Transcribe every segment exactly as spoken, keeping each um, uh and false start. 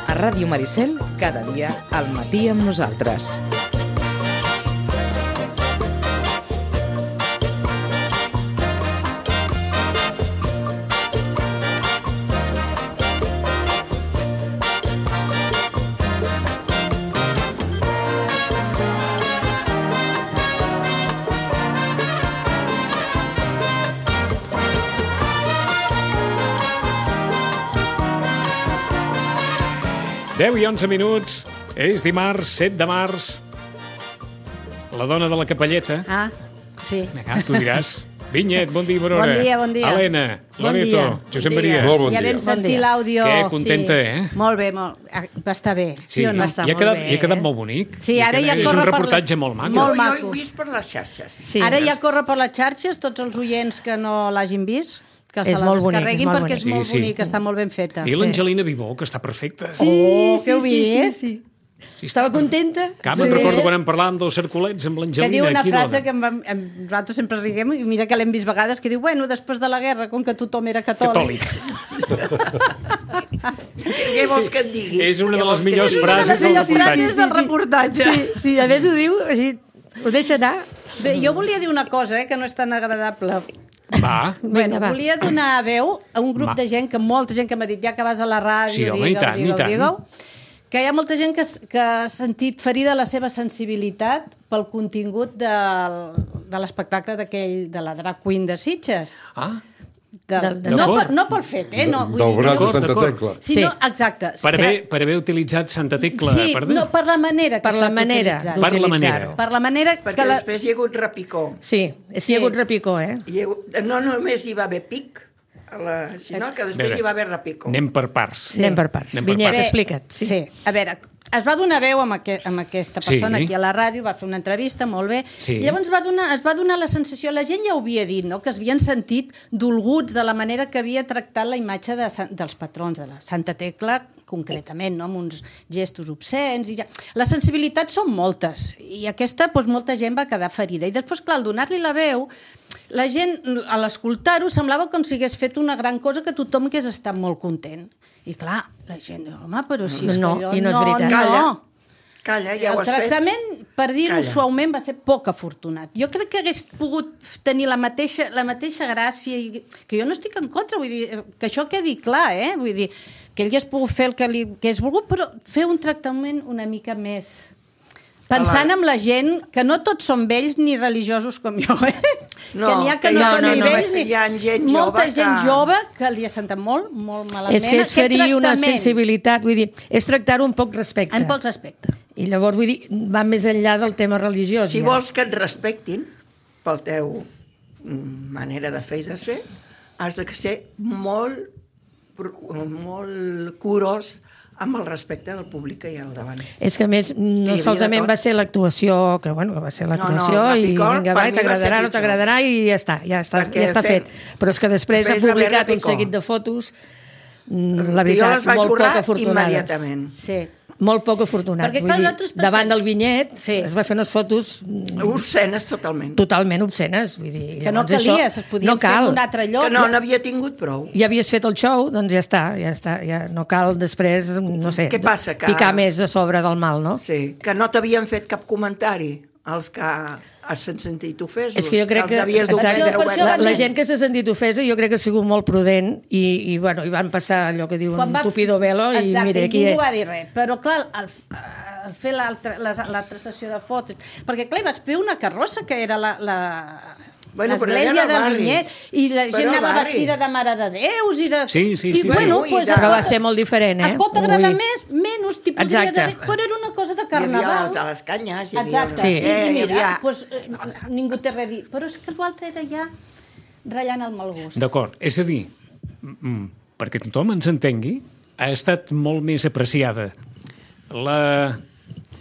A Ràdio Maricel, cada dia al matí amb nosaltres. deu i onze minuts, és dimarts, set de març. La dona de la capelleta. Ah, sí. Vinga, tu diràs. Vinyet, bon dia, bona hora. Bon dia, bon dia. Helena, Bon Loreto, dia. Josep Bon Maria. dia. Molt bon Ja dia. vam sentir dia. l'àudio. Què, contenta, sí. eh? Molt bé, molt... ah, va estar bé, sí, Sí, o no? està i ha molt quedat, bé, i ha quedat eh? molt bonic. Sí, I ha ara quedat- ja és corre un per reportatge les- molt maco. molt Jo maco. ho he vist per les xarxes. Sí. Ara ja corre per les xarxes, tots els oients que no l'hagin vist, que És se la molt bonic, descarreguin és molt perquè és bonic. molt Sí, sí. bonic, està molt ben feta. I l'Angelina Vivó, que està perfecta. Sí, Oh, sí, que heu sí, vist? sí, sí. Sí, Estava està contenta. Cap, me'n recordo quan en parlàvem dels cercolets amb Que l'Angelina. diu una aquí, frase dona. que em va, em, nosaltres sempre riguem, i mira que l'hem vist vegades, que diu, bueno, després de la guerra, com que tothom era catòlic. Catòlic. Què vols que et digui? És una de Què les vols que et millors digui? frases Una de del les millors reportatge. frases del reportatge. Sí, sí, a més ho diu, així, ho deixa anar. Bé, jo volia dir una cosa, eh, que no és tan agradable. Va. Bueno, va. volia donar veu a un grup Va. de gent, que molta gent que m'ha dit, ja que vas a la ràdio, Sí, home, i tant, i digueu, tant. digueu, que hi ha molta gent que, que ha sentit ferida la seva sensibilitat pel contingut del, de l'espectacle d'aquell, de la drag queen de Sitges. Ah, De, Del- no, D'acord. per, no pel fet, eh? No, vull Del dir, braç de D'acord, Santa d'acord. Tecla. Sí, Sí. no, exacte. per Sí. haver, per haver utilitzat Santa Tecla. Sí, per, no, per la manera que Per ha la estat manera utilitzat. Per la d'utilitzar-ho. manera. Per la manera Perquè que la... després hi ha hagut repicó. Sí, sí, Sí. hi ha hagut repicó, eh? Hi ha hagut... No només hi va haver pic, a la... sinó que després Veure, hi va haver repicó. Anem per parts. Sí. Anem per parts. Anem per Vinyet, parts. explica't. Sí. sí, a veure, es va donar veu amb, aqu amb aquesta persona Sí. aquí a la ràdio, va fer una entrevista, molt bé, Sí. i llavors va donar, es va donar la sensació, la gent ja ho havia dit, no?, que es havien sentit dolguts de la manera que havia tractat la imatge de, dels patrons, de la Santa Tecla, concretament, no?, amb uns gestos obscens, i ja... Les sensibilitats són moltes, i aquesta, doncs, molta gent va quedar ferida. I després, clar, al donar-li la veu, la gent, a l'escoltar-ho, semblava com si hagués fet una gran cosa que tothom hagués estat molt content. I clar, la gent diu, home, però si és No, que allò... i no és veritat. Calla, No. calla, ja El ho has fet. tractament, per dir-ho Calla. suaument, va ser poc afortunat. Jo crec que hagués pogut tenir la mateixa, la mateixa gràcia, i, que jo no estic en contra, vull dir, que això quedi clar, eh? Vull dir, que ell hagués pogut fer el que, li, que hagués volgut, però fer un tractament una mica més... Pensant en la gent, que no tots són vells ni religiosos com jo, eh? No, que n'hi ha que, que no, hi ha- són no, ni no, vells que ni... hi ha gent Molta jove gent que- jove que li ha sentat molt, molt malament. És que és aquest ferir una tractament. sensibilitat, vull dir, és tractar-ho amb poc respecte. En poc respecte. I llavors, vull dir, va més enllà del tema religiós. Si ja. vols que et respectin pel teu mm, manera de fer i de ser, has de ser molt, pro- molt curós amb el respecte del públic que hi ha al davant. És que a més, no havia de solament tot. va ser l'actuació, que bueno, que va ser l'actuació, No, no, i Rapicor, vinga, per va, mi va ser t'agradarà, no pitjor. t'agradarà, i ja està, ja està, Perquè ja està fem- fet. Però és que després, després ha va haver publicat un Rapicor. seguit de fotos, mm, la Que jo veritat, les vaig molt poc borrar afortunades. immediatament. Sí. Molt poc afortunats. Perquè, Vull clar, dir, nosaltres pensem- davant del vinyet Sí. es va fer unes fotos mm, Obscenes totalment. totalment obscenes. Vull dir, Que no llavors calia, això es podien no fer cal. en un altre lloc. Que no n'havia tingut prou. Ja havies fet el show, doncs ja està, ja està, ja no cal després, no sé, Què passa, que- picar més a sobre del mal, no? Sí, que no t'havien fet cap comentari els que s'han sentit ofesos. És que jo crec que, els havies exacte, d'ofendre Per això la, obertament. la gent que s'ha sentit ofesa jo crec que ha sigut molt prudent i, i, bueno, i van passar allò que diuen Quan va- tupido velo i Exacte, mira, aquí... ningú va dir res. Però, clar, al, al fer l'altra l'altra sessió de fotos... Perquè, clar, hi vas fer una carrossa que era la... la... Bueno, però l'església era al del barri. Vinyet, i la Però gent al anava barri. vestida de Mare de Déus i de... Sí, sí, I, sí, bueno, sí. pues, Ui, Però va et pot- ser molt diferent, eh? Et pot agradar Ui. més, menys, t'hi podries Exacte. haver... Però era una cosa de Hi havia carnaval. les de les canyes, hi havia... Exacte. Sí. I, Eh, i hi mira, havia... pues, eh, ningú té res a dir. Però és que l'altre era ja ratllant el mal gust. D'acord, és a dir, mm, perquè tothom ens entengui, ha estat molt més apreciada la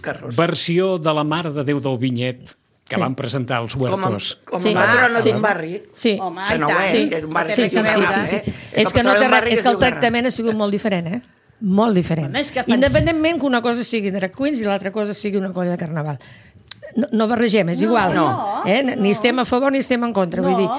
Carrossa. versió de la Mare de Déu del Vinyet que Sí. van presentar els Com a, huertos. com a Sí. patrona Sí. d'un barri. Sí. Home, Que i no tant. ho és, Sí. que és un barri Sí, que sí, té sí, veure, sí, eh? És que, no patrona té d'un res, barri és es que el diu Garraf. tractament ha sigut molt diferent, eh? Molt diferent. Home, és que pens- Independentment que una cosa sigui drag queens i l'altra cosa sigui una colla de carnaval. no, no barregem, és igual. no, eh? no. Ni estem a favor ni estem en contra. Vull No. dir,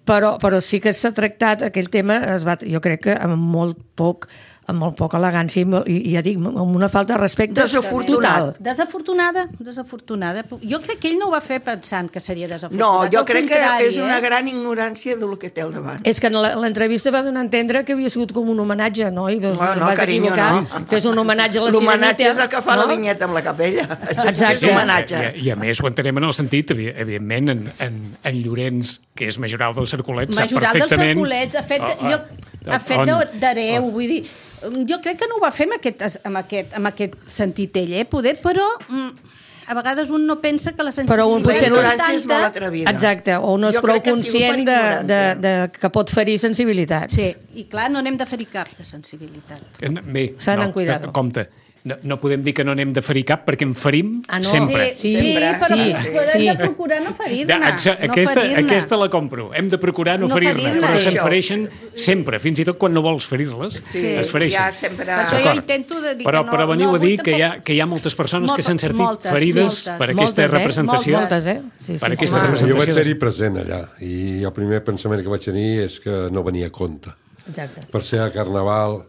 però, però sí que s'ha tractat, aquell tema, es va, jo crec que amb molt poc amb molt poca elegància i, molt- i, i ja dic, amb una falta de respecte Desafortunat. total. Desafortunada, desafortunada. Jo crec que ell no ho va fer pensant que seria No, desafortunat. jo Al crec que contrari, és una eh? gran ignorància del que té al davant. És que en la- l'entrevista va donar a entendre que havia sigut com un homenatge, no? I doncs, No, no, vas carinyo, equivocar, no. fes un homenatge a la L'homenatge Sireneta. és el que fa no? la vinyeta amb la capella. Això sí que és Exacte. homenatge. I, i, I a més ho entenem en el sentit, evi- evidentment, en, en, en Llorenç, que és majoral dels Cercolets, sap Majoral dels perfectament... Cercolets, ha fet, Oh, oh, jo, ha fet on- de- d'hereu, vull dir, jo crec que no ho va fer amb aquest, amb aquest, amb aquest sentit ell, eh? Poder, però mm, a vegades un no pensa que la sensibilitat Però un La potser no és ignorància és molt tanta. atrevida. Exacte, o no és Jo prou crec que ha sigut conscient per de, de, ignorància. de, que pot ferir sensibilitats. Sí, i clar, no n'hem de ferir cap de sensibilitat. Bé, S'han no, en cuidado. compte, no, no podem dir que no n'hem de ferir cap perquè en ferim Ah, no? sempre. Sí, Sí, sí, però, sí, però hem sí. de procurar no ferir-ne. Ja, exa- no aquesta, ferir-ne. aquesta la compro. Hem de procurar no, No ferir-ne, ferir-ne. però Sí. se'n fereixen sempre, fins i tot quan no vols ferir-les, Sí, es fereixen. ja sempre- Per això jo D'acord. intento de dir però, que no- però veniu no a dir vull que hi, ha, tampoc- que hi ha moltes persones que Moltes, s'han sentit moltes, ferides moltes. per aquesta Moltes, eh? representació. Moltes, eh? Sí, sí, per sí. aquesta Home, Jo representació. vaig de- ser-hi present allà i el primer pensament que vaig tenir és que no venia a compte. Exacte. Per ser a Carnaval,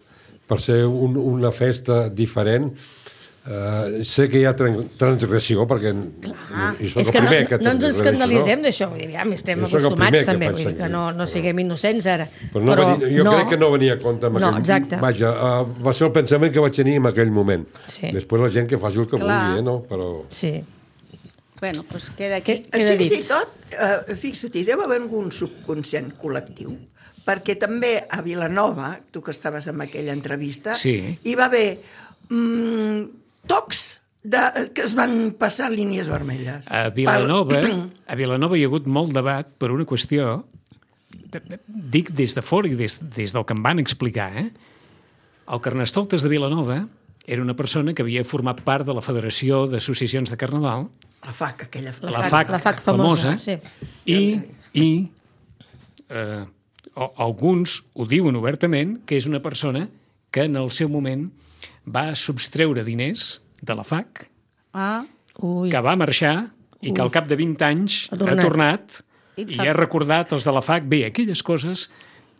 per ser un, una festa diferent, eh, sé que hi ha tran- transgressió, perquè i soc És el que no, primer que no ens transgredeixo, escandalitzem no? d'això, vull dir, ja estem Jo sóc el acostumats primer que també, faig vull dir que servir. no, no siguem innocents ara. Però no venia, jo crec que no venia a compte amb No, aquell... exacte. Vaja, uh, va ser el pensament que vaig tenir en aquell moment. Sí. Després la gent que faci el que Clar. vulgui, eh, no? Però... Sí. Bueno, doncs queda aquí. Què- Queda Fins i dit. tot, eh, fixa't, hi deu haver algun subconscient col·lectiu, perquè també a Vilanova, tu que estaves en aquella entrevista, Sí. hi va haver mm, tocs de, que es van passar línies vermelles. A Vilanova, Per- a Vilanova hi ha hagut molt debat per una qüestió, de- de- dic des de fora i des, des del que em van explicar, eh? El Carnestoltes de Vilanova era una persona que havia format part de la Federació d'Associacions de Carnaval, La F A C, aquella... la F A C, F A C, la F A C famosa, sí. i, i eh, o- alguns ho diuen obertament, que és una persona que en el seu moment va substreure diners de la F A C, Ah, Ui. que va marxar i que al cap de vint anys Ha ha tornat. tornat, I i fa- ha recordat els de la F A C, bé, aquelles coses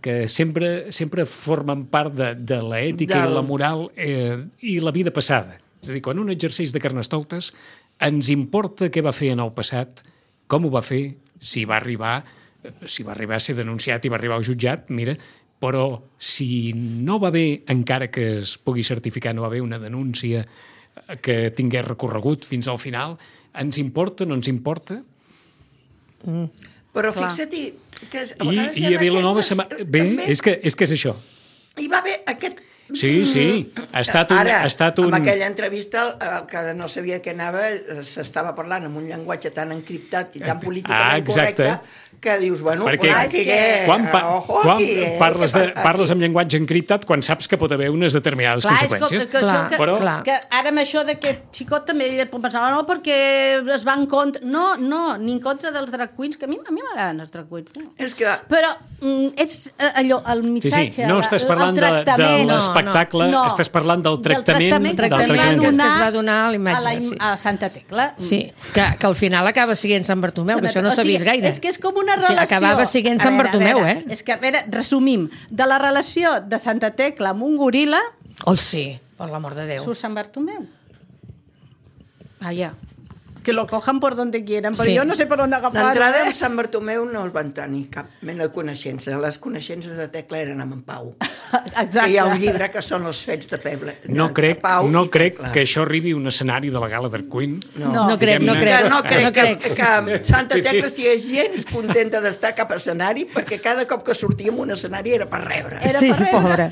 que sempre, sempre formen part de, de l'ètica Del- i la moral eh, i la vida passada. És a dir, quan un exerceix de carnestoltes, ens importa què va fer en el passat, com ho va fer, si va arribar, eh, si va arribar a ser denunciat i va arribar al jutjat, mira, però si no va bé, encara que es pugui certificar, no va haver una denúncia que tingués recorregut fins al final, ens importa, no ens importa? Però Clar. fixa't-hi que a I, vegades hi i ha a Vilanova... aquestes- Se m'ha- bé, també és que, és que és això. hi va haver aquest... Sí, sí, ha estat un... Ara, ha estat un... amb aquella entrevista, el, el que no sabia què anava, eh, s'estava parlant amb un llenguatge tan encriptat i tan políticament Ah, exacte. correcte, que dius, bueno, Perquè quan aquí, quan, pa, ojo quan aquí, eh, parles, de, que- parles amb llenguatge encriptat quan saps que pot haver unes determinades clar, és com, conseqüències. que, això, Clar, que, però- clar. que ara amb això d'aquest xicot també ell pot pensar, no, perquè es va en contra... No, no, ni en contra dels drag queens, que a mi a mi m'agraden els drag queens. No? És que Però mm, és eh, allò, el Sí, missatge... sí, no estàs parlant el de, de tractament, l'espectacle, no. estàs parlant del tractament, del tractament que, del se li va tractament que es donar va donar a la imatge, a, la, im- sí. a Santa Tecla. Sí, que, que al final acaba sent Sant Bartomeu, que això no O s'ha sigui, vist gaire. És que és com una O sigui, relació... acabava sent A Sant veure, a Bartomeu, veure, eh? És que, a veure, resumim, de la relació de Santa Tecla amb un goril·la Oh, sí, per l'amor de Déu. surt Sant Bartomeu. Vaya, que lo cojan por donde quieran, però Sí. jo no sé per on agafar-ho. d'entrada eh? amb Sant Bartomeu no es van tenir cap mena de coneixença. Les coneixences de Tecla eren amb en Pau. Exacte. Que hi ha un llibre que són els fets de Peble. No de crec, Pau no i crec Tecla. que això arribi a un escenari de la gala d'Art Queen. No, No crec, no Diguem-ne- crec. Que no crec, no crec. Que, que Santa Sí, sí. Tecla estigui gens contenta d'estar a cap escenari, perquè cada cop que sortíem un escenari era per rebre. Era Sí, per rebre. pobra.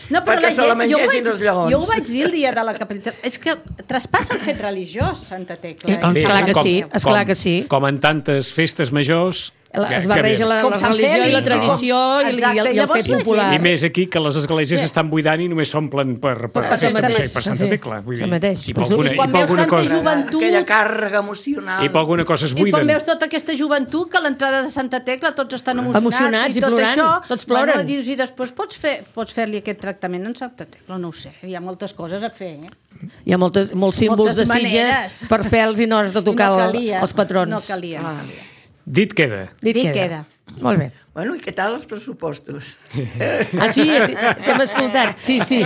No, però Perquè la se la gent, jo, ho mengessin vaig, els lleons. jo ho vaig dir el dia de la capitalitat. És que traspassa el fet religiós, Santa Tecla. Eh, com I Esclar Sant que Bartomeu. sí, esclar que sí. Com en tantes festes majors, Es barreja la, Com la Sant religió Fèlix, i la no? tradició i, el- Exacte, i, el, i el llavors fet la popular. gent- I més aquí, que les esglésies s'estan buidant i només s'omplen per, per, Per- per per festa Sant major i Mateix. per Santa Sí. Tecla. Vull dir, Sant Mateix. I per I alguna, I i quan per veus alguna tanta cosa. joventut... Aquella càrrega emocional. I per alguna cosa es I quan buiden. veus tota aquesta joventut que a l'entrada de Santa Tecla tots estan emocionats, Emocionats i tot plorant, això, tots ploren. Bueno, dius, i després pots fer pots fer-li aquest tractament en Santa Tecla, no ho sé, hi ha moltes coses a fer. Eh? Hi ha moltes, molts símbols Moltes de Sitges maneres. per fer-los i no has de tocar I no calia, els patrons. No calia. Ah. Dit queda. Dit, Dit queda. queda. Molt bé. Bueno, i què tal els pressupostos? Ah, sí? T'hem escoltat. Sí, sí.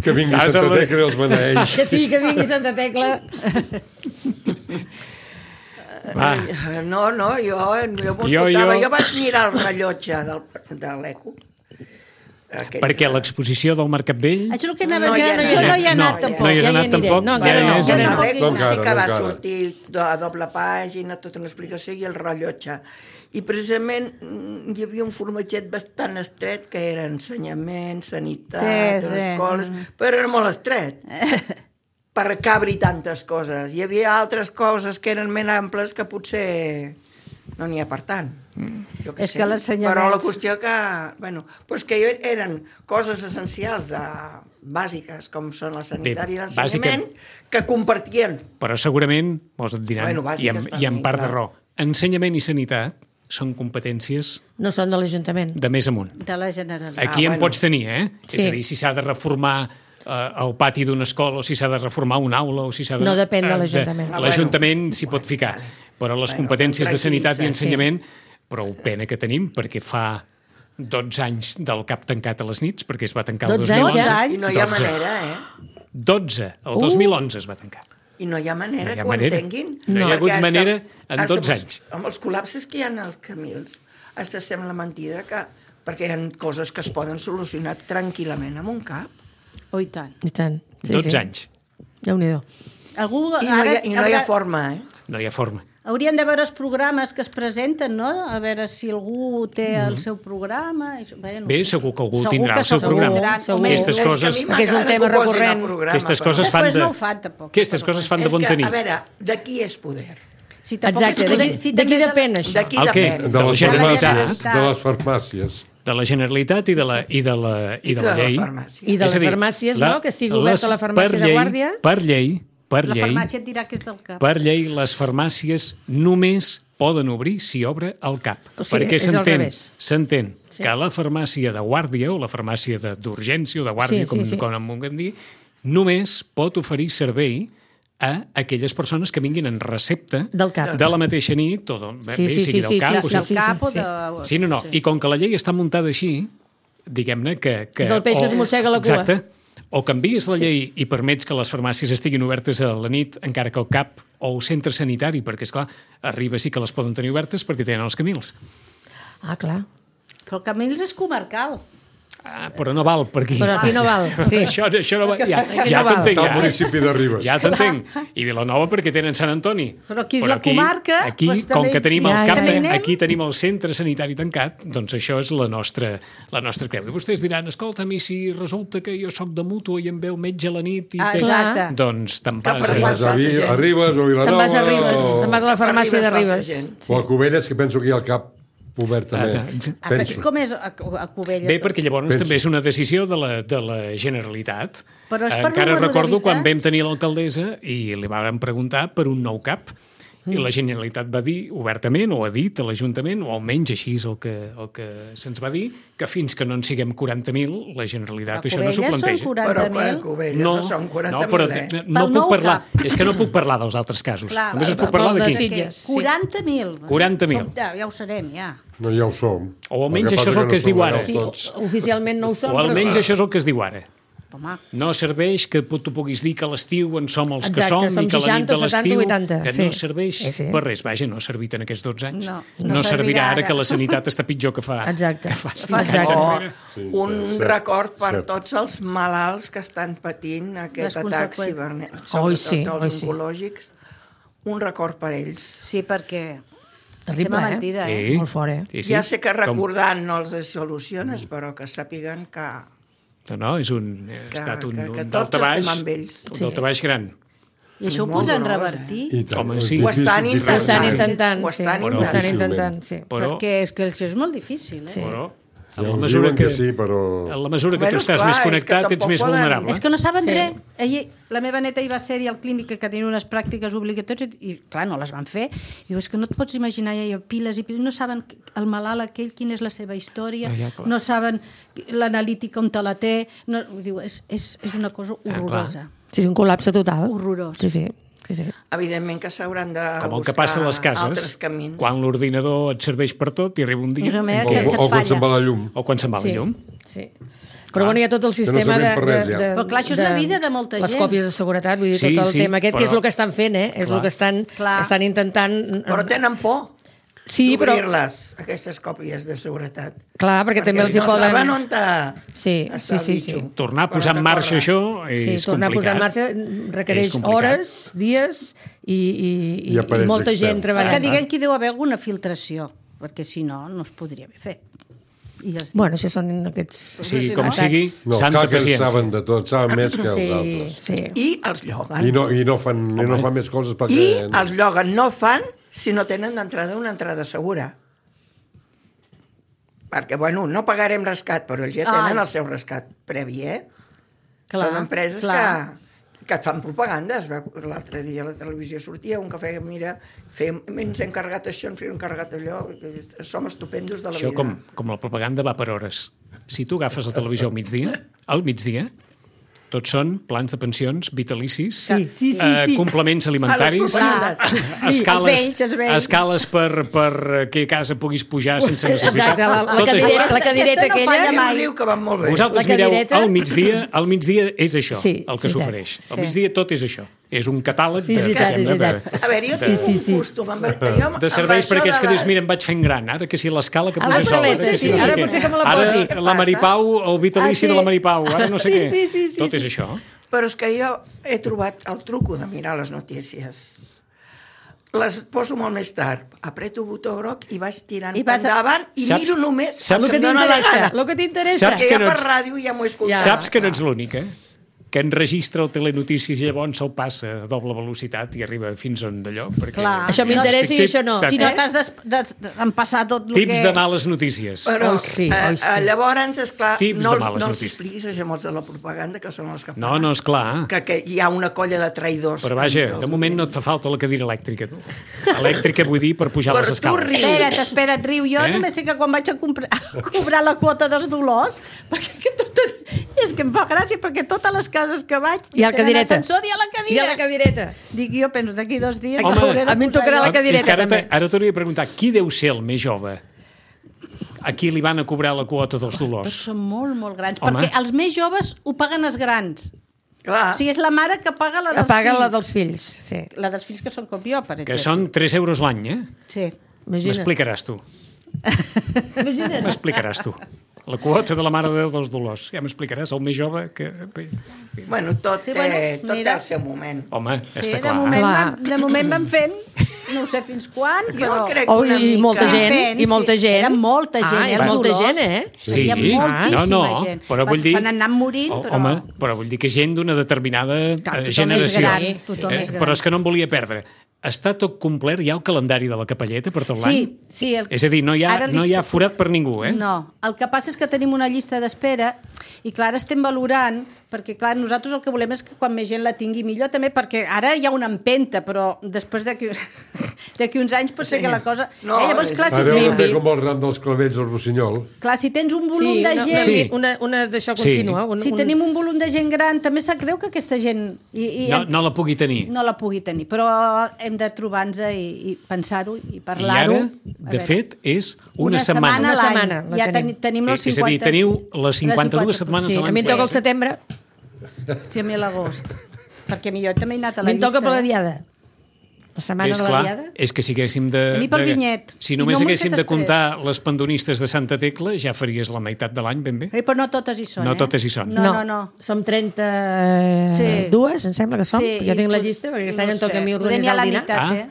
Que vingui Casa Santa la- Tecla i els beneeix. Que sí, que vingui Santa Tecla. Va. No, no, jo, jo m'ho Jo- escoltava. jo- Jo... vaig mirar el rellotge del, de l'Eco. Aquell- Perquè l'exposició del Mercat Vell... Això és el que anava No a hi dir, ha jo anat. no hi he No, anat no tampoc. hi has Ja hi anat aniré. tampoc? No, Ja encara hi no. has Jo anat. no, l'Eco No encara, sí que no va encara. sortir a doble pàgina, tota una explicació i el rellotge. I precisament mm, hi havia un formatget bastant estret que era ensenyament, sanitat, Sí, sí. escoles, però era molt estret per cabri tantes coses. Hi havia altres coses que eren més amples que potser no n'hi ha per tant. Jo què És sé. que l'ensenyament- Però la qüestió que... Bueno, doncs que eren coses essencials de, bàsiques, com són la sanitària i l'ensenyament, que compartien. Però segurament, molts et diran, Bueno, i, en, bàsiques i en per part mi, de raó, ensenyament i sanitat són competències No són de l'Ajuntament. de més amunt. De la Generalitat. Aquí Ah, en bueno. pots tenir, eh? Sí. És a dir, si s'ha de reformar eh, el pati d'una escola o si s'ha de reformar una aula o si s'ha de... No depèn de eh, l'Ajuntament. Ah, L'Ajuntament s'hi pot ficar, però les Bueno, competències de sanitat i tranquil·litza, ensenyament, prou pena que tenim, perquè fa dotze anys del cap tancat a les nits, perquè es va tancar el dotze dos mil anys onze. ja? I no hi ha dotze. manera, eh? dotze, el dos mil onze es va tancar. I no hi ha manera No hi ha que ho manera. entenguin. No hi ha Perquè hagut hasta- manera en hasta dotze amb els- anys. Amb els col·lapses que hi ha als camins, hasta sembla mentida que... Perquè hi ha coses que es poden solucionar tranquil·lament amb un cap. Oh, i tant. I tant. Sí, dotze sí. anys. Déu-n'hi-do. Algú, I no, hi ha, ara, i no hi ha haurà- forma, eh? No hi ha forma. Hauríem de veure els programes que es presenten, no? A veure si algú té el seu programa. i- Bé, no Bé, sé. segur que algú Segur tindrà que el seu segur programa. tindran, Segur. home, Aquestes És que a mi coses- Perquè és un m'agrada tema que ho posin recurrent. al programa, Aquestes però- coses fan Després de... no ho fan, tampoc. Aquestes coses fan de És bon que, tenir. a veure, de qui és poder? Si tampoc Exacte. és De poder- qui, si de qui també depèn, això? De qui El què? depèn? De les Generalitat. farmàcies. De les farmàcies. de la Generalitat i de la, i de la, i de la de la llei. farmàcia. I de És les a dir, farmàcies, la- no? Que estigui oberta les- la farmàcia per de llei- guàrdia. Per llei, per La llei, farmàcia et dirà que és del cap. per llei, les farmàcies només poden obrir si obre el cap. O sigui, perquè és al s'entén revés. s'entén Sí. que la farmàcia de guàrdia o la farmàcia de- d'urgència o de guàrdia, Sí, sí, com, sí. com en vulguem dir, només pot oferir servei a aquelles persones que vinguin en recepta Del cap. de la mateixa nit, o de, Sí, bé, sí, sigui sí, del sí, cap, sí, o sí, sigui, Del cap o sí. de... Sí, no, no. I com que la llei està muntada així, diguem-ne que, que... És el peix que es mossega la cua. Exacte. O canvies la llei i permets que les farmàcies estiguin obertes a la nit, encara que el cap o el centre sanitari, perquè, és clar arriba sí que les poden tenir obertes perquè tenen els camils. Ah, clar. Però el Camils és comarcal. Ah, però no val per aquí. Però aquí no val, sí. Això, això no va... Ja, Aquí ja no val. t'entenc, Està al ja. municipi de Ribes. Ja t'entenc. I Vilanova perquè tenen Sant Antoni. Però aquí és la comarca, Aquí, doncs com també que tenim hi- el Ja, cap, ja, ja. anem. aquí tenim el centre sanitari tancat, doncs això és la nostra, la nostra creu. I vostès diran, escolta'm, i si resulta que jo sóc de mútua i em ve el metge a la nit i Ah, té... exacte. Doncs te'n Que vas per Te'n a... vas a, Vi, a Ribes o a Vilanova. Te'n vas a Ribes, o... te'n vas a la farmàcia de Arriba falta Ribes. gent. O a Cubelles, que penso que hi ha el cap obert també. Ah, Ah, Penso. com és a, a Cubelles? Bé, perquè llavors Penso. també és una decisió de la, de la Generalitat. Però és per Encara número recordo quan d'habitants? vam tenir l'alcaldessa i li vam preguntar per un nou cap i la Generalitat va dir obertament, o ha dit a l'Ajuntament, o almenys així és el que, el que se'ns va dir, que fins que no en siguem quaranta mil, la Generalitat A això no s'ho Cubelles són planteja. Però quaranta a mil. Cubelles no, no són quaranta mil, no, però eh? no Pel puc nou parlar, cap. és que no puc parlar dels altres casos. Clar, Només us pel- puc parlar pel de d'aquí. Sitges. Sí. quaranta mil. quaranta mil. Som- Ja, ja ho serem, ja. No, ja ho som. O almenys El que això és passa el que es no diu som ara. legals Sí, tots. oficialment no ho som, O almenys però... això és el que es diu ara. Home, No serveix que tu puguis dir que a l'estiu en som els que Exacte, som som i que a la nit de seixanta, setanta, l'estiu vuitanta, que sí. no serveix Sí, sí. per res. Vaja, no ha servit en aquests dotze anys. No, no, no servirà servirà ara ara. que la sanitat està pitjor que fa, Exacte. que fa cinc Fa- anys O enrere. Sí, un cert, cert, record per cert. tots els malalts que estan patint aquest Les atac conseqüències. cibernètic, Oi, sobretot sí, oi, els sí. oncològics. Un record per ells. sí, perquè... Terrible, Sembla eh? mentida, eh? Sí. Molt fort, eh? Sí, sí. Ja sé que Com- recordant no els soluciones, però que sàpiguen que... No, no, és un, ha Que- estat un, que- que un tots daltabaix, estem amb ells. un Sí. daltabaix gran. I això ho Molt podran gros, revertir. I tant, Home, és sí. difícil, Ho estan difícil. Ho estan Difícil. intentant, Ho sí. estan Ho estan intentant. intentant, sí. Però, Perquè és que això és molt difícil, eh? Sí. però Ja en ho la mesura diuen que que, sí, però... en la mesura que Bueno, tu estàs esclar, més és que connectat, ets tampoc més poden- vulnerable. És que no saben Sí. res. Ahir, la meva neta hi va ser-hi al clínic que tenia unes pràctiques obligatòries i, clar, no les van fer. I diu, és que no et pots imaginar, hi ha piles i piles, no saben el malalt aquell, quina és la seva història, Ah, ja, clar. no saben l'analítica on te la té. No, diu, és, és, és una cosa horrorosa. Sí, és un col·lapse total. Horrorós. Sí, sí. sí, sí. Evidentment que s'hauran de Com el que buscar passa a les altres cases, camins. quan l'ordinador et serveix per tot i arriba un dia, Però a més, O, que- que et o quan falla. se'n va la llum. o quan se'n va la Sí, llum. sí. Però bueno, hi ha tot el sistema sabem de, per res, de, ja. de... Però clar, això és la vida de molta Les gent. còpies de seguretat, vull dir, Sí, tot el sí, tema aquest, que és però- el que estan fent, eh? És Clar. el que estan, Clar. estan intentant... Però tenen por Sí, però... d'obrir-les, aquestes còpies de seguretat. Clar, perquè, també els hi no poden... saben on està, Sí, està sí, el sí, bitxo. sí. Tornar a Per posar on en que marxa corre. això Sí, és tornar a posar en complicat. marxa requereix És complicat. hores, dies i, i, i, I i aparells molta gent externs. treballant. Que diguem que hi deu haver alguna filtració, perquè si no, no es podria haver fet. I els Bueno, això són aquests... Sí, com no? sigui, No, els santa hackers paciència. saben de tot, saben més que els Sí, altres. sí. I els lloguen. I no, i no, fan, i no fan més coses I perquè... els lloguen no fan si no tenen d'entrada una entrada segura. Perquè, bueno, no pagarem rescat, però ells ja tenen Ai. el seu rescat previ, eh? Clar, Són empreses clar. que, que et fan propaganda. Es veu, l'altre dia a la televisió sortia un que feia, mira, fem, ens hem carregat això, ens hem carregat allò, som estupendos de la Això vida. com, com la propaganda va per hores. Si tu agafes la televisió al migdia, al migdia, tots són plans de pensions vitalicis, Sí, sí, sí, eh, sí. complements alimentaris, A les propagandes. escales, els vells, els vells. escales per, per que a casa puguis pujar sense necessitat. Exacte, la, la, Tot cadireta, això. la cadireta Aquesta no aquella... falla Hi ha mai. un riu que va molt bé. Vosaltres La mireu, cadireta. al migdia, al migdia és això, Sí, el que sí, s'ofereix. sí. Al migdia tot és això. És un catàleg Sí, de, és veritat, diguem-ne, és veritat. de, A veure, jo Sí, tinc sí, sí. un costum amb, jo, de serveis amb per això aquells de que la- dius, mira, em vaig fent gran, ara que si l'escala que A posa les sola, paletes, ara que sí, si no sé ara què. potser que me la Ara posi. la Maripau, el vitalici Ah, sí? de la Maripau, ara no sé Sí, què. sí, sí, sí, Tot sí. és això. Però és que jo he trobat el truco de mirar les notícies. Les poso molt més tard. Apreto el botó groc i vaig tirant I vas a- endavant i Saps- miro només saps el El que que em dóna la t'interessa, gana. el que t'interessa. Saps Que que ja no per ets- ràdio ja m'ho he escoltat. Ja. Saps que no ets l'única? Que enregistra el telenotícies i llavors se'l passa a doble velocitat i arriba fins on d'allò. Perquè... Clar. Això m'interessa i això no. Saps? Si no Eh? t'has des- des- d'empassar tot el Tips que... de males notícies. Però, Oi, sí, eh, oi, sí. eh, llavors, esclar, Tips no, de els, males no els notícies. expliquis a gemots de la propaganda, que són els que No, paguen. no, esclar. Que, que hi ha una colla de traïdors. Però que vaja, ens els de moment no et fa falta la cadira elèctrica. Tu. Elèctrica vull dir per pujar Però les tu escales. rius. Espera't, espera't, riu. Jo Eh? eh? només sé que quan vaig a, comprar, a cobrar la quota dels dolors, perquè que tot, és que em fa gràcia, perquè totes les cases que vaig Hi ha el tenen cadireta. ascensor i hi ha la I cadira. a la cadireta. Dic jo, penso, d'aquí dos dies... Home, m'hauré de a mi em posar tocarà jo. la cadireta, És que ara, també. te- ara t'hauria de preguntar, qui deu ser el més jove? A qui li van a cobrar la quota dels Tots dolors? són molt, molt grans. Home. Perquè els més joves ho paguen els grans. Clar. O sigui, és la mare que paga la dels Apaga fills. la dels fills. Sí. La dels fills que són com jo, per exemple. Que són tres euros l'any, eh? Sí. Imagina't. M'explicaràs tu. Imagina't. M'explicaràs tu. La quota de la Mare de Déu dels Dolors. Ja m'explicaràs, el més jove que... Bueno, tot, Sí, sí, bueno, bueno, tot mira. té el seu moment. Home, Sí, està de clar. moment, Clar. van, de moment van fent, no ho sé fins quan, però... Jo crec Oh, una i mica... molta gent, Fent, i molta sí. gent. Era molta gent, Ah, era és molta dolós. gent, eh? Sí. Hi ha moltíssima no, no, gent. però vull dir... Se n'han anat morint, Oh, però... Home, però vull dir que gent d'una determinada Clar, eh, tothom és generació. gran, tothom Eh, és gran. Però és que no em volia perdre. Està tot complert, hi ha el calendari de la capelleta per tot Sí, l'any? sí. El... És a dir, no hi, ha, Ara li- no hi ha forat per ningú, eh? No, el que passa és que tenim una llista d'espera i clar, ara estem valorant, perquè clar, nosaltres el que volem és que quan més gent la tingui millor també, perquè ara hi ha una empenta, però després d'aquí d'aquí uns anys pot ser Sí. que la cosa... No, eh, llavors, és- clar, si, Ara heu de fer tens, com el ram dels clavells al Rossinyol. clar, si tens un volum Sí, de una, gent... Sí. una, una d'això Sí. contínua. Un, Si un... tenim un volum de gent gran, també sap greu que aquesta gent i, i No, no la pugui tenir. no la pugui tenir, però hem de trobar-nos i, i pensar-ho i I parlar-ho. ara, A de veure, fet, és una, una setmana. setmana a Una l'any. setmana, la Ja tenim. ten, tenim els És a dir, cinquanta... teniu les cinquanta-dues les setmanes Sí, de a l'any. mi em toca el setembre. Sí, a mi a l'agost. Perquè a mi jo també he anat a A la mi em llista. toca per la eh? diada. La setmana És de la clar, diada. és que si haguéssim de... A mi pel de- vinyet. Si I només no m'ho he haguéssim fet de després. comptar les pandonistes de Santa Tecla, ja faries la meitat de l'any ben bé. Eh, però no totes hi són, No eh? totes hi són. No, no, no. Som trenta-dues, em sembla que som. Sí, jo tinc la i pot- llista, perquè aquest no any em toca sé, a mi poder n'hi organitzar ha la el dinar. meitat, Ah. eh?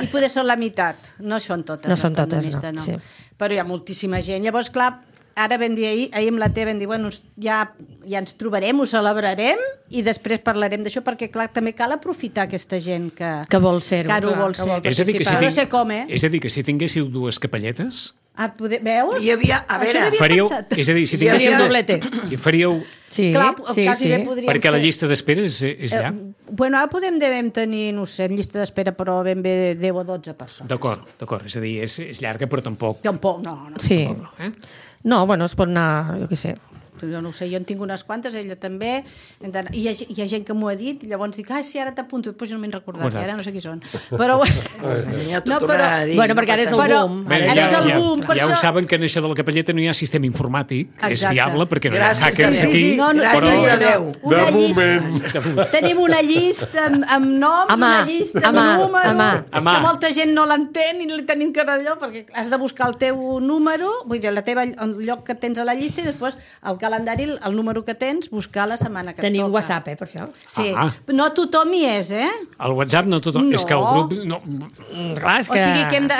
I poder són la meitat. No són totes. No les són totes, pandonistes, no, sí. Però hi ha moltíssima gent. Llavors, clar, ara vam dir ahir, ahir amb la T vam dir, bueno, ja, ja ens trobarem, ho celebrarem i després parlarem d'això, perquè clar, també cal aprofitar aquesta gent que, Que vol ser-ho, que ara ho clar, vol que ser. vol És a dir, que si Però no tinc- sé com, eh? És a dir, que si tinguéssiu dues capelletes, Ah, poder, veus? Hi havia, a Això veure, n'havia faríeu... pensat. És a dir, si Hi havia- tinguéssiu... Faríem doblete. I faríeu... Sí, Clar, sí, quasi sí. bé podríem Perquè la fer. llista d'espera és, és llarg. Eh, bueno, ara podem devem tenir, no sé, en llista d'espera, però ben bé deu o dotze persones. D'acord, d'acord. És a dir, és, és llarga, però tampoc... Tampoc, no, no. Sí. Eh? No, bueno, es pot anar, jo què sé. Jo no ho sé, jo en tinc unes quantes, ella també, hem d'anar- i hi ha, hi ha gent que m'ho ha dit, i llavors dic, ah, sí, ara t'apunto, després no m'he recordat, Recordat. i ara no sé qui són. Però, ja t'ho no, però- tornarà a dir. Bueno, perquè ara és el Però- boom. Bé, Ara ja, és el ja, boom, per ja ho això- saben que en això de la capelleta no hi ha sistema informàtic, és Exacte. fiable, perquè no hi ha Gràcies a hackers Déu. aquí. No, no, Gràcies tenim a una- Déu. una De llista- moment. Tenim una llista amb, amb noms, A mà, una llista a amb mà, números, a mà. A mà. que molta gent no l'entén i li tenim que allò, perquè has de buscar el teu número, vull dir, la teva, el lloc que tens a la llista, i després el calendari, el, el número que tens, buscar la setmana que et Tenim toca. WhatsApp, eh, per això. Sí, Ah. no tothom hi és, eh? El WhatsApp no tothom... No. És que el grup... No, Mm, Clar, és O que... sigui que hem de,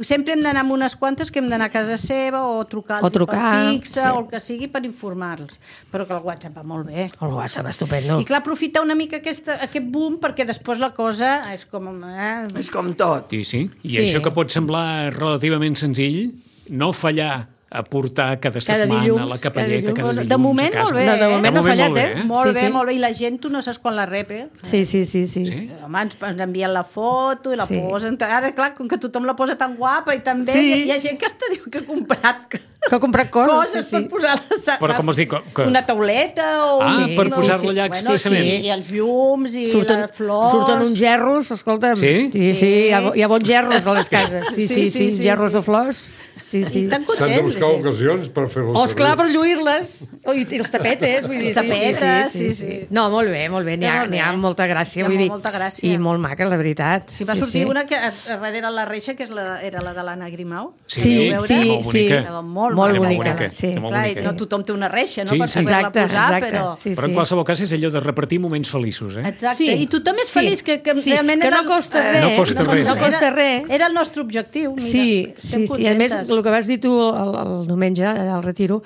sempre hem d'anar amb unes quantes que hem d'anar a casa seva o trucar O trucar, per fixa sí. o el que sigui per informar-los. Però que el WhatsApp va molt bé. El WhatsApp, estupendo. I clar, aprofitar una mica aquesta, aquest boom perquè després la cosa és com... Eh? És com tot. sí, sí. I Sí. això que pot semblar relativament senzill, no fallar a portar cada Cada setmana dilluns, la capelleta, cada cada dilluns. dilluns, De moment, a casa. molt bé, No, de eh? moment no ha moment fallat, molt eh? bé, eh? Molt Sí, bé, sí. molt bé. I la gent, tu no saps quan la rep, eh? Sí, sí, sí, sí. Sí? Home, ens, ens envien la foto i la Sí. posen... Ara, clar, com que tothom la posa tan guapa i tan bé, Sí. hi, hi ha gent que hasta diu que ha comprat Que ha comprat coses, coses sí, sí. per posar-la... Però com es diu? Que- Una tauleta o... Ah, un- per no, posar-la allà Bueno, expressament. sí, i els llums i Surten, les flors... surten uns gerros, escolta'm. Sí? Sí, sí, hi ha, hi ha bons gerros a les cases. Sí, sí, sí, Sí, sí, sí, gerros sí. de flors. Sí, sí. I estan S'han de contents. buscar la gent. ocasions per fer-ho O, esclar, per lluir-les. Oh, I, I els tapetes, vull dir. sí, Tapetes, sí, sí, sí, sí. No, molt bé, molt bé. N'hi ha, Molt bé. n'hi ha molta gràcia, Hi ha vull dir. molta gràcia. I molt maca, la veritat. Sí, va sortir una que a, a darrere la reixa, que és la, era la de l'Anna Grimau. Sí, Sí, Vau veure? sí, molt sí. bonica. Estava molt, Molt Era bonica, bonica. sí. Era molt Clar, bonica. i no tothom té una reixa, no? Sí, per sí. poder-la Exacte, posar, exacte. però... Sí, Però en sí. qualsevol cas és allò de repartir moments feliços, eh? Exacte, Sí, i tothom és sí. feliç, que, que Sí, realment que era no el- costa eh, res. No costa no, res, No eh? costa era, res. Era el nostre objectiu, mira. Sí, Estem sí, sí. I a més, contentes. el que vas dir tu el, el diumenge, al retiro,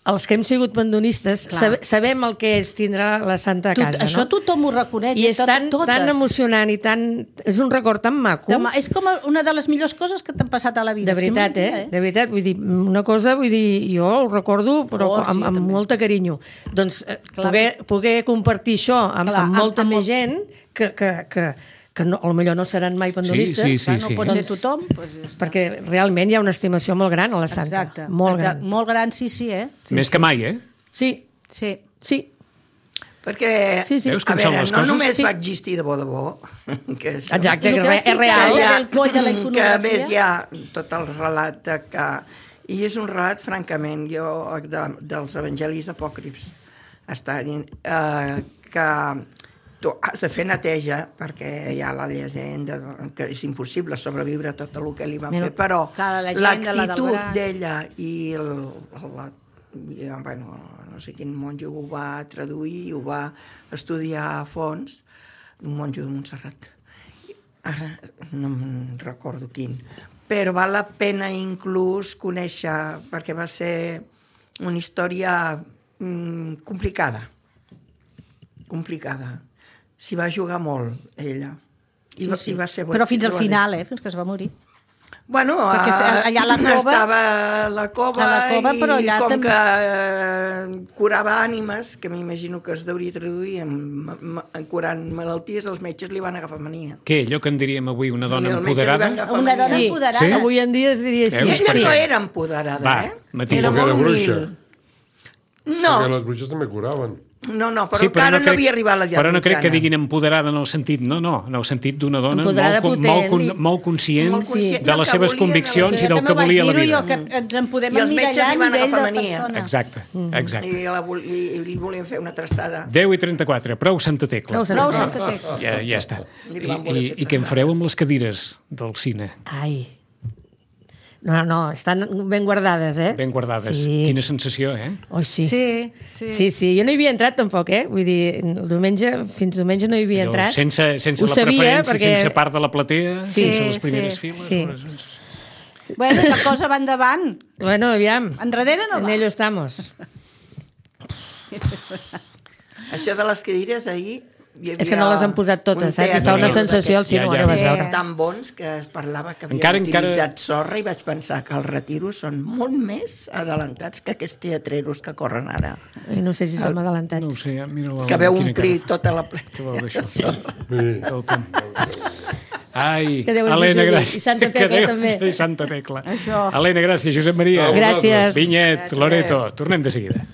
els que hem sigut pandonistes Clar. sabe, sabem el que és tindre la santa a Tot, casa, això no? tothom ho reconeix. I és tot- tan, totes. tan emocionant i tan... És un record tan maco. Demà, és com una de les millors coses que t'han passat a la vida. De veritat, Estic eh? mentida, De veritat, vull dir, una cosa, vull dir, jo ho recordo, però Oh, sí, amb, amb també. molta carinyo. Doncs eh, Clar. poder, poder compartir això amb, Clar, amb amb- molta amb més molt- gent que, que, que, que no, potser no seran mai pandonistes, Sí, sí, Clar, no sí. pot ser Doncs- tothom. Doncs ja està. perquè realment hi ha una estimació molt gran a la santa. Exacte. Molt exacte. gran. Molt gran, sí, sí, eh? Sí, Més que mai, eh? Sí, sí. sí. Perquè, Sí, sí. Veus com a són veure, les no coses? només Sí. va existir de bo de bo, que això, Exacte, El que que vas és dir real. que que, del coll de la que a iconografia. més hi ha tot el relat de que... I és un relat, francament, jo, de, dels evangelis apòcrifs, està dient, eh, que tu has de fer neteja perquè hi ha la llegenda que és impossible sobreviure a tot el que li van Mira, fer, però clar, la llegenda, la del l'actitud braç. d'ella i el, la, i, bueno, no sé quin monjo ho va traduir, ho va estudiar a fons, un monjo de Montserrat. Ara no me'n recordo quin, però val la pena inclús conèixer, perquè va ser una història mm, complicada, complicada. S'hi va jugar molt, ella. I, Sí, va, sí. i va ser Però fins al bo- final, eh? Fins que es va morir. Bueno, Perquè a, allà a la cova- estava a la cova, a la cova, i però allà com també- que eh, curava ànimes, que m'imagino que es deuria traduir en, en curant malalties, els metges li van agafar mania. Què, allò que en diríem avui una I dona el metge li va empoderada? agafar Una dona mania. empoderada. Sí? Avui en dia es diria així. Veus? Ella Per no què? era empoderada, Va, eh? Matilde. Era Perquè molt era bruixa. humil. Perquè No, les bruixes també curaven. no, no, però Sí, encara no, crec- havia arribat a l'edat Però no crec que mitjana. diguin empoderada en el sentit... No, no, en el sentit d'una dona Empoderada molt, con- potent. molt, con- molt conscient, Molt conscient de del les que seves volia, de la conviccions seva- i del Jo que també vaig volia la dir-ho, vida. jo, que ens en podem I els metges emmirallar a li van nivell agafar de mania. persona. Exacte, exacte. I, la, vol- i, i li volien fer una trastada. deu i trenta-quatre, prou Santa Tecla. Prou Santa Prou Tecla. Santa Tecla. Ja, ja està. I I, li van voler i, fer I què en trasllat. fareu amb les cadires del cine? Ai. No, no, estan ben guardades, eh? Ben guardades. Sí. Quina sensació, eh? Oh, sí. Sí, sí. Sí, sí, jo no hi havia entrat tampoc, eh? Vull dir, el diumenge, fins diumenge no hi havia Allò, entrat. sense sense Ho la sabia, preferència, perquè- sense part de la platea, Sí, sense les sí, primeres sí. files. Sí. unes- Bueno, la cosa va endavant. Bueno, aviam. Enrere no En va. ello estamos. Això de les cadires, ahir hi havia És que no les han posat totes, un saps? I teatre fa una d'aquests sensació al ja, cinema ja. que vas Sí. veure. tan bons que es parlava que havien Encara- encara, encara- utilitzat sorra i vaig pensar que els retiros són molt més adelantats que aquests teatreros que corren ara. I no sé si som adelantats. No ho sé, mira la... Que veu quina omplir cara. tota la pleta. Què vol dir això? Escolta'm. Ai, Que Déu ens Helena, ajudi. gràcies. I Santa Tecla, Que Déu també. ens- I Santa Tecla. Això. Helena, gràcies. Josep Maria. Gràcies. Vinyet, Loreto. Tornem de seguida.